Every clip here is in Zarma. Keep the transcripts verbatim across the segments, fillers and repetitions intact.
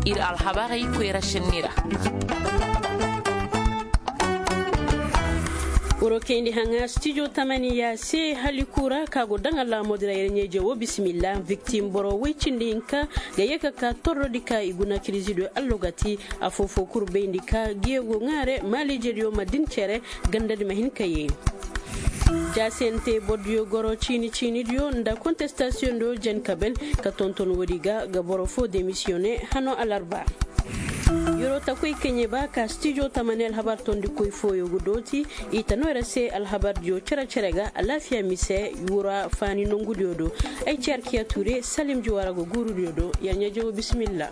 Iri alhabarey koyra senni ra. Woro kayndi haŋa studio tamaniya se hali kura ka go daŋ alaamo dira iri ɲeeje wo bisimilla. Victim boro way cindi hinka ga ye ka ka torro di ka i guna kirizidiyo allogati. Afo fo kuru bayndi ka giyo go ŋaare maaliijediyo ma din cere ganda di ma hin ka ye. Jaasiyante bordiyo goro ciini ciinidiyo nda kontestasiyoŋ do jen kabel ka tonton woodi ga ga boro fo demisiyone hano alarba. Yoro takoy kaŋ ye ba ka studio tamani alhabar tondikoy fooyo ga dooti i ta no ira se alhabardiyo cere cere ga alaafiya mise wura faani nongudiyo do. Ay ceerkiya ture salim juwara ga guurudiyo do ya ɲeeje wo bisimilla.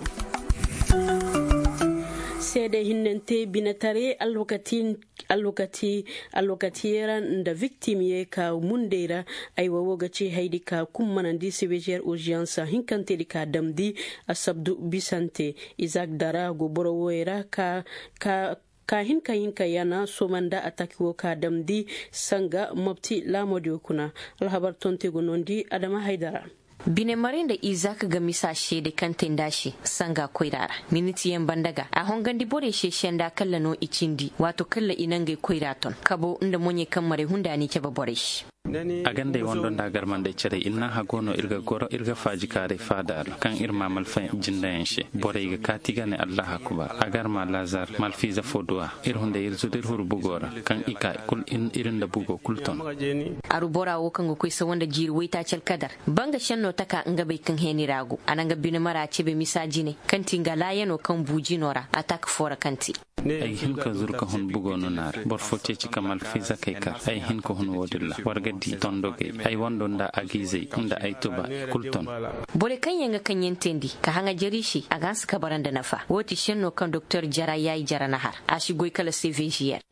Seede hinnante binetare alwakati alwakati alwakati yera nda victim ye ka mundey ra. Ay wo wo ga ci haydi ka kummanandi sebejer urgence hinkante di ka damdi asabdu bisante. Isaac dara go boro woyey ra ka ka ka hinka hinka yana somanda ataki wo ka damdi sanga mobti laamodiyo kuna. Alhabar tonte go nondi adama haydara. Bine maray nda izak ga misa seede kaŋ te nd'a se sanga koyra ra. Miniti yaŋ banda ga a hongandi borey se senda kalla no i cindi waato kalla i nangey koyra ton kabo nda moɲey kaŋ maray hunda ni cabe borey se. A gandey wando nda garmandey carey iri naŋ hago no iri ga goro iri ga faaji kaaray faada ra kaŋ iri ma malfa jindayaŋ se borey ga kaati ga ne allah akbar a garma lazar malfiiza fo duwa. Iri hunday iri zuru iri huru bugo ra kaŋ i ka kulu iri nda bugo kulu ton. Aru bora wo kaŋ ga koy sawa nda jiiri waytaaci alkadar banga senno taka nga bay kaŋ heeni ra go a na nga bine mara cebe misa jine kaŋ ti nga laayano kaŋ bu jino ra a taka fo ra kaŋ te. Ay ga hin ka zuru ka hun bugo no na ra boro fo ceeci ka malfiiza kay kar ay ga hin ka hun wo-din ra war ga di tondogey ay wando nda agizey nda ay tuba i kulu ton. Borey kaŋ yaŋ ga kaŋ yaŋ teendi ka haŋajari se a ga hanse ka bara nda nafa wo ti senno kaŋ doktor jara yaayi jara na har a si goy kala cvgr.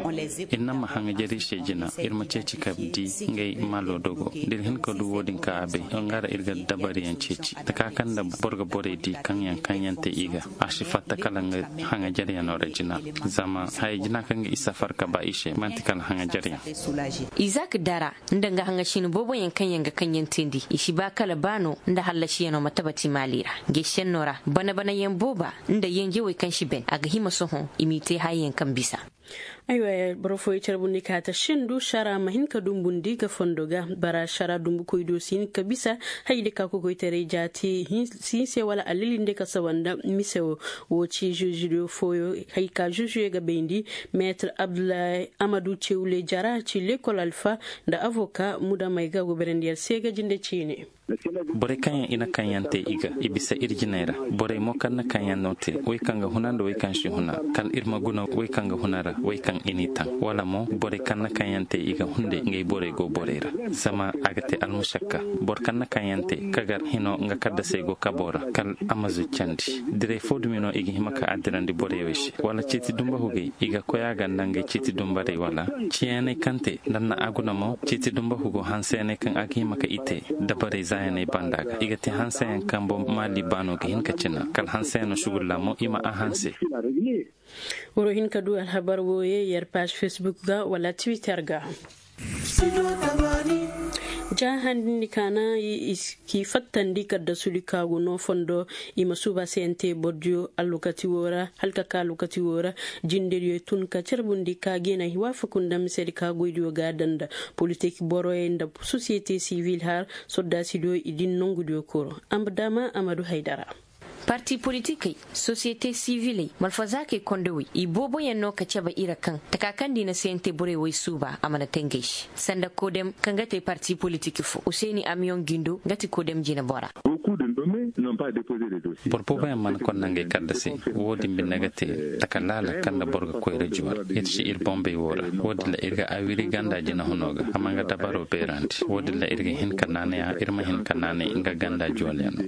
Iri naŋ ma haŋajari se jina iri ma ceeci ka di ngey malo dogo da iri hin ka du wo-din ka a bay nga ra iri ga dabariyaŋ ceeci taka kaŋ nda boro ga borey di kaŋ yaŋ kaŋ yaŋ te i ga a si fatta kala nga haŋajariyano ra jina. Zama haya jina kaŋ ga i safar ka ba i se manti kala haŋajariyaŋ. Izak dara nda nga haŋasina boobo yaŋ kaŋ yaŋ ga kaŋ yaŋ teendi i si ba kala ba no nda hallasiyano ma tabati maali ra. Ngey senno ra bana bana yaŋ booba nda yanjawey kaŋ si ben a ga hima sohõ i m'i te haya yaŋ kaŋ bisa. Aywa boro fooyaŋ care bundi ka ta sendu sara ma hin ka dumbundi ga fondo ga bara sara dumbukoy do si hin ka bisa. Haydi ka kokoytaray jaati si hin se wala allilinde ka sawanda mise wo wo ci jujuyo fooyo. Hay ka jujuyo ga bayndi meetar abdullahi amadu cewle jara ci lekol alfa nda avoka muda may ga goberandi yar se ga jinde ciine. Borey kaŋ yaŋ i na kaŋ yaŋ te i ga i bisa iri jinay ra. Borey mo kaŋ na kaŋ yaŋ no te way kaŋ ga huna nda way kaŋ si huna kala iri ma guna way kaŋ ga huna ra way kaŋ i n'i taŋ wala mo borey kaŋ na kaŋ yaŋ te i ga hunday ngey borey go borey ra. Zama a ga te almušakka boro kaŋ na kaŋ yaŋ te ka gar hino nga kaddasey go kabo ra kala a ma zuccandi. Direy fo dumi no i ga hima ka addirandi borey wo se wala ciiti dumba hugey i ga koy a ganda ngey ciiti dumbarey wala ciyaney kaŋ te nda na a guna mo ciiti dumba hugo hanseyaney kaŋ a ga hima ka i te dabarey zaayaney banda ga i ga te hanseyaŋ kambo maali baano ga hin ka cina kala hanseyaŋ no sugulla mo i ma a hanse. Woro hin ka du alhabar wo ye yer page facebook ga wala twitter ga. Ja handindi kaana i ki fattandi kadda suli kaagu no fondo i ma suuba sente bordiyo allokati wo ra halka ka allokati wo ra. Jindiriyo tun ka carbundi ka gina hiwafa kunda misedi ka goydiyo ga danda politik boroye nda société civile har soddasidiyo i din nongudiyo koro. Amdama amadu haydara. Parti politikey, société civiley malfazakey kondowey i booboyaŋ no ka cabe i ra kaŋ taka kaŋ da i na sente borey way suuba a mana te ngey se sanda kodem kaŋ ga te parti politik fo useeni amiyoŋ jindo nga ti kodem jina bora. Boro booboyaŋ mana konda ngey kadda se. Wo-din binde ga te taka laala kaŋ nda boro ga koyra juwar iri si iri bombey wo ra. Wo-din ra iri ga awiri ganda jina huno ga a ma nga dabaro beerandi wo-din ra iri ga hin ka naanay a iri ma hin ka naanay nga ganda juwalyaŋo.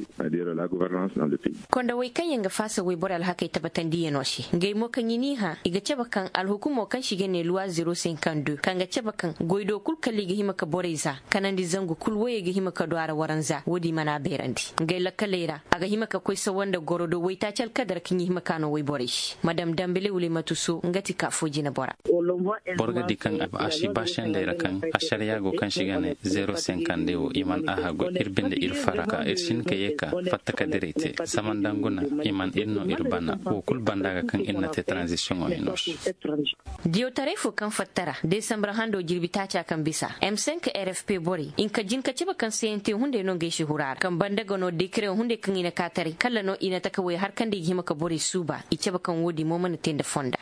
Kondowey kaŋ yaŋ ga faasa wayboro alhakey tabbatandiyano se ngey mo kaŋ i n'i hã i ga cabe kaŋ alhukumo kaŋ se i ga ne luwa zero cinquante deux kaŋ ga cabe kaŋ goydo kulu kala i ga hima ka borey za kanandi zangu kulu woyey ga hima ka du a ra waranza wo-din mana beerandi ngey lakkal. Leyra a ga hima ka koy sawa nda goro do waytaaci alkadar ka ɲi hima ka no wayborey se madam dambele wulimatu so nga ti ka fo jinabora. Boro ga di kaŋ a si ba sendey ra kaŋ asariya go kaŋ si ga ne zero senkande wo i man a hagu iri binde iri fara ka iri si hin ka ye ka fatta ka direy te. Zama nda nguna i man iri no iri bana wo kulu banda ga kaŋ iri na te transition wo hino se. Diyawtaray fo kaŋ fatta ra desambra hando jirbi taaca kaŋ bisa m cinq r f p borey i na ka jin ka cabe kaŋ c n t hunday no ngey si hura ra kaŋ banda ga no dekare hunday kaŋ i na ka taray kala no i na taka way har kaŋ da i ga hima ka borey suuba i cabe kaŋ wo- din mo mana te nda fonda.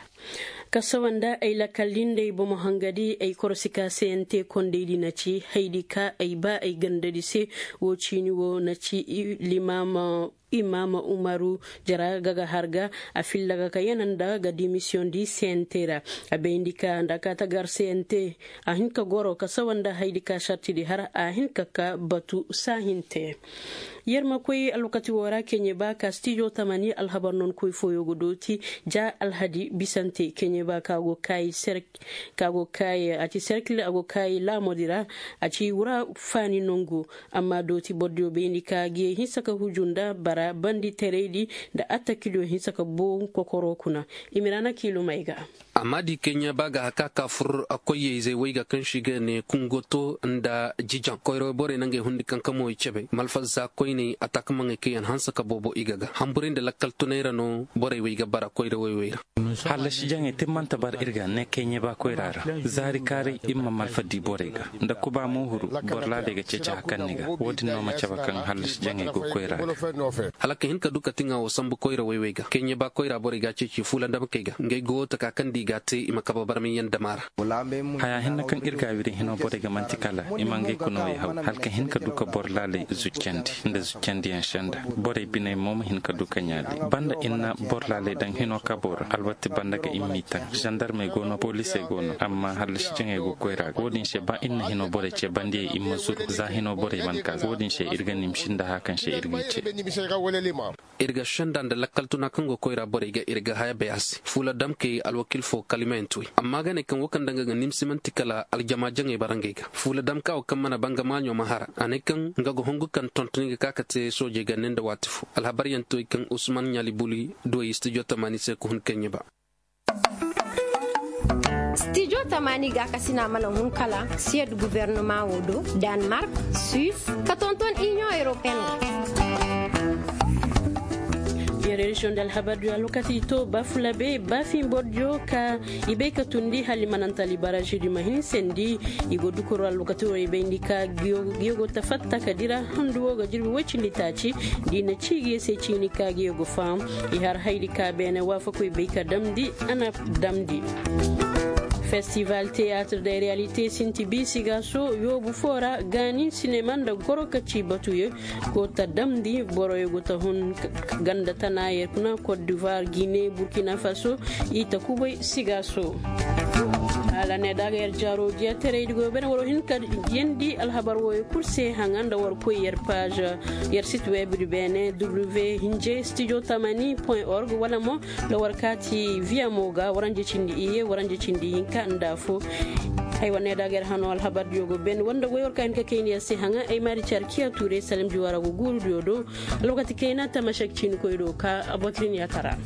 Kasawa nda ay lakkal din day bomo hanga di ay korosi ka c n t kondey di na ci haydi ka ay ba ay ganda di se. Wo ciini wo na ci limama imama umaru jara ga ga har ga a filla ga ka yana nda ga dimisiyoŋ di c n t ra. A bayndi ka nda ka tagar c n t a hin ka goro ka sawa nda haydi ka sarti di har a hin ka ka batu saahin te. Yer ma koy alwakati wo ra keɲe ba ka stijo tamani alhabar non koy fooyo ga dooti ja alhadi bisante keɲe ba ka go kaayi serk ka go kaayi a ci serkil a go kaayi laamo di ra. A ci wura faani nongu. Amma dooti bordiyo bayndi ka ga ye hinsa ka huju nda bara bandi teraydi nda attakilyo hinsa ka boŋ kokoro kuna. Imirana kiilumay ga. Amma di keɲa ba ga haka ka fur koyey zey way ga kaŋ si ga ne kungoto nda jijaŋ koyro borey nangey hundi kaŋ kamo i cabe malfazza koyney a takamaŋey kaŋ yaŋ hanse ka boobo i ga ga hamburay nda lakkal tunay ra no borey way ga bara koyro wayway ra. Hallasi jaŋey timmante bar iri ga ne keɲe ba koyra ra zaari kaaray iri ma malfa di borey ga nda kuba mo huru boro laaley ga ceeci hakanni ga wo- din no ma cabe kaŋ hallasi jaŋey go koyra ga. Hala ka hin ka du ka tiŋa wo sambu koyra wayway ga keɲe ba koyra borey ga ceeci fuula damkey ga ngey go taka kaŋ da i ga a te i ma kaba barmay yaŋ dama ra. Haya hinne kaŋ iri ga wiri hino borey ga manti kala i ma ngey kunawey haw hala ka hin ka du ka boro laaley zuccandi nda zuccandiyaŋ senda. Borey biney mo ma hin ka du ka ɲaali banda iri na boro laaley daŋ hino kabo ra alwatti banda ga iri m'i taŋ zandarmey go no polisey go no amma hallasi jaŋey go koyra ga wo- din se ba iri na hino borey ce bandiyey iri ma zuru za hino borey mana ka wo- din se iri ga nimsi nda haya kaŋ se iri g'i ce. Iri ga senda nda lakkal tuna kaŋ go koyra borey ga iri ga haya bay a se fuula damkey alwakil fo kalimayaŋ tuway amma ga ne kaŋ wo kaŋ danga ga nimsi manti kala aljama jaŋey bara ngey ga fuula damka wo kaŋ mana banga maaɲo ma hara a ne kaŋ nga ga hongu kaŋ tontoni ga ka ka te soojey ga ne nda waati fo alhabaryaŋ tuway kaŋ usman ɲaali buli duway studio tamani se ka hun kaŋ ɲiba. Studio tamani ga kasina mana hun kala siyad gouvernement wo do, danemark, suisse, ka tonton union européenne. Yer région de alhabar du alwakati to bafulabe bafin bordiyo ka i bay ka tundi hali manantali baraji di ma hin sendi. I go dukoro alwakati wo i bayndi ka giyo go tafatta ka dira handu wo ga jirbi way cindi taaci. Di na ci giyo se ciini ka giyo go faham. I har haydi ka beene waafakoy bay ka damndi a na damndi. Festival théâtre des réalités sinti bi sigaso yoobu fo ra gaani sinema nda goro ka ci batuyo. Go ta damndi boroyo go ta hun ganda tana yer kuna côte d'ivoire guinée burkina faso. I ta kubay sigaso. Hala ne daga yer jaro jiya terey di go bene waro hin ka yendi alhabar woyo kurse hanga nda war koy yer page yer site web di bene w hinje studio tamani point org wala mo nda war kati via moga waranje cindi iye waranje cindi hinka nda fo. Ay wane daga yer hano alhabar diyo go bene wanda goy war ka hin ka kayni yer se hanga ay mari car kiya ture salim juwara go guru diyo do. Alwakati kayna tamashek cini koy do ka abotrin ya tara.